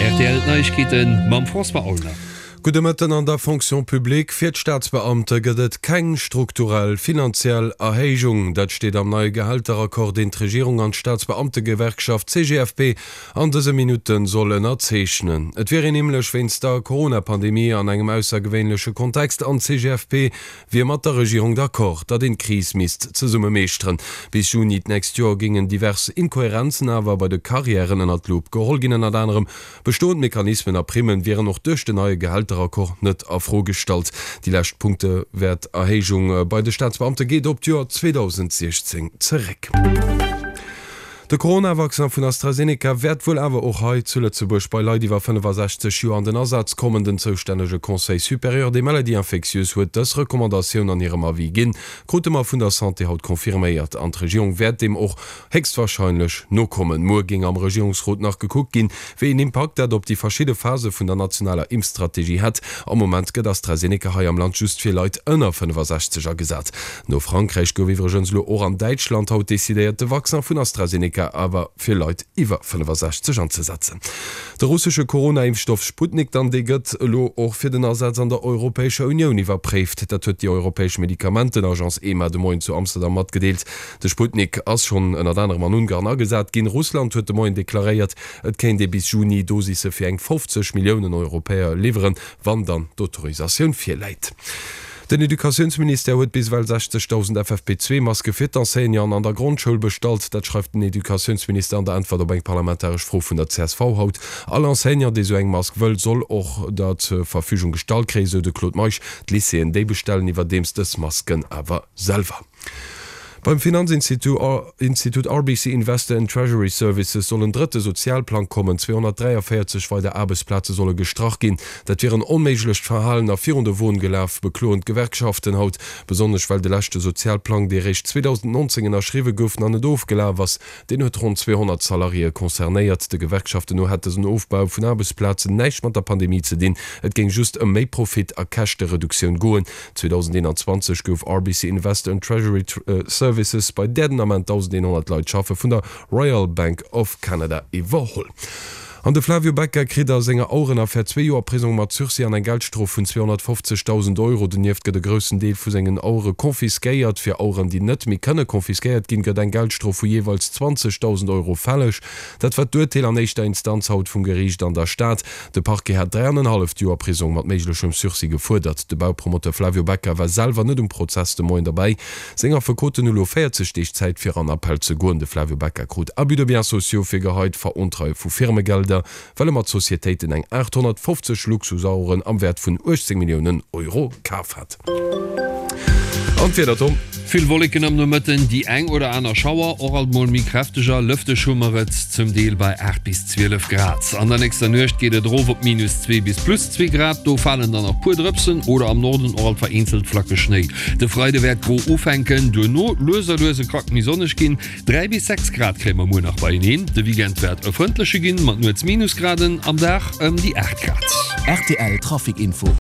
rtl, D'Neiegkeete mam François Aulner. Gudde Mëtten. An der Fonction publique fir d'Staatsbeamte gëtt et keng strukturell finanziell Erhéijung. Dat steet am neie Gehälteraccord, deen d'Regierung an d'Staatsbeamtegewerkschaft CGFP an dëse Minutte soll ënnerzeechnen. Et wier een nämlech wéinst der Corona-Pandemie an engem aussergewéinleche Kontext an d'CGFP wier mat der Regierung d'accord, datt een d'Kris misst zesumme meeschteren. Bis Juni d'nächst Joer géingen divers Inkohärenzen awer bei de Karriären ënnert d'Lupp geholl ginn. Ënnert anerem Bestoend Mechanismen a Primmen wieren och duerch den neie Gehälteraccord net a Fro gestallt. Déi lescht Punktewäerterhéijung bei de Staatsbeamte geet op d'Joer 2016 zeréck. De Corona-Vaccin vun AstraZeneca wäert wuel awer och hei zu Lëtzebuerg bei Leit iwwer 65 Joer an den Asaz kommen. Den zoustännege Conseil supérieur des maladies infectieuses huet dës Recommandatioun an hirem Avis ginn, krute mer vun der Santé haut confirméiert. An d'Regierung wäert deem och héchstwarscheinlech nokommen. Muer géing am Regierungsrot nach gekuckt ginn, wéi een Impakt dat op déi verschidde Phase vun der nationaler Impfstrategie hätt. Am Moment gëtt AstraZeneca hei am Land just fir Leit ënner 65 agesat. No Frankräich gouf iwwregens elo och an Däitschland haut decidéiert, de Vaccin vun AstraZeneca awer fir Leit iwwer 65 anzesetzen. De russesche Corona-Impfstoff Sputnik dann, dee gëtt elo och fir den Asaz an der Europäescher Unioun iwwerpréift. Dat huet déi europäesch Medikamentenagence EMA de Moien zu Amsterdam matgedeelt. De Sputnik ass schonn ënnert anerem an Ungarn agesat ginn. Russland huet de Moien deklaréiert, et kéint ee bis Juni Dosisse fir eng 50 Milliounen Europäer liwweren, wann dann d'Autorisatioun virläit. Den Educatiounsministère huet bis ewell 60.000 FFP2-Maske fir d'Enseignanten an der Grondschoul bestallt. Dat schreift den Educatiounsminister an der Äntwert op eng parlamentaresch Fro vun der csv haut. All Enseignant, dee sou eng Mask wëll, soll och der zur Verfügung gestallt kréien, sou de Claude Meisch. D'Lycéeën, déi bestellen iwwerdeems dës Masken awer selwer. Beim Finanzinstitut RBC Investor and Treasury Services soll en drëtte Sozialplang kommen. 243 weider Aarbechtsplaze solle gestrach ginn. Dat wier en onméiglecht Verhalen a virun de Won gelaf, bekloen d'Gewerkschaften haut. Besonnesch well de leschte Sozialplang, dee réischt 2019 ënnerschriwwe gouf, nach net ofgelaf ass. Deen huet ronn 200 Salariéë concernéiert. De Gewerkschaften no hätt dësen Ofbau vun Aarbechtsplazen näischt mat der Pandemie ze dinn. Et géing just ëm méi Profit a Käschtereduktioun goen. 2021 gouf RBC Investor and Treasury Services, bei där den Ament 1.100 Leit schaffe, vun der Royal Bank of Canada iwwerholl. An de Flavio Becca kritt a senger Auerenaffär zwee Joer Prisong mat Sursis an eng Geldstrof vun 250.000 Euro. Donieft gëtt e groussen Deel vu sengen Auere confisquéiert. Fir Aueren, déi net méi kënne confisquéiert ginn, gëtt eng Geldstrof vu jeeweils 20.000 Euro fälleg. Dat war d'Urteel an éischter Instanz haut vum Geriicht an der Stad. De Parquet hat 3 an en halleft Joer Prisong mat méiglechem Sursis gefuerdert. De Baupromoteur Flavio Becca war selwer net um Prozess de Moien derbäi. Seng Affekoten hu lo 40 Deeg Zäit fir an Appell ze goen. De Flavio Becca krut Abus de biens sociaux virgeheit, Verontreie vu Firmegelder, well e mat Societéiten eng 850 Luxusaueren am Wäert vun 18 Milliounen Euro kaf hat. An d'Wieder, Tom? Vill Wolleken am Nomëtten, déi eng oder aner Schauer, och alt mol méi kräfteger. Lëfteg hu mer et zum Deel bei 8 bis 12 Grad. An der nächster Nuecht geet et erof op minus 2 bis plus 2 Grad, do falen dann nach puer Drëpsen oder am Norden och alt vereenzelt Flacke Schnéi. De Freide wäert gro ufänken, duerno lues a lues e Krack méi sonneg ginn. 3 bis 6 Grad kréie mer muer nach beieneen. De Weekend wäert e frëndleche ginn, mat nuets Minusgraden, am Dag ëm déi 8 Grad. Rtl Trafic Info.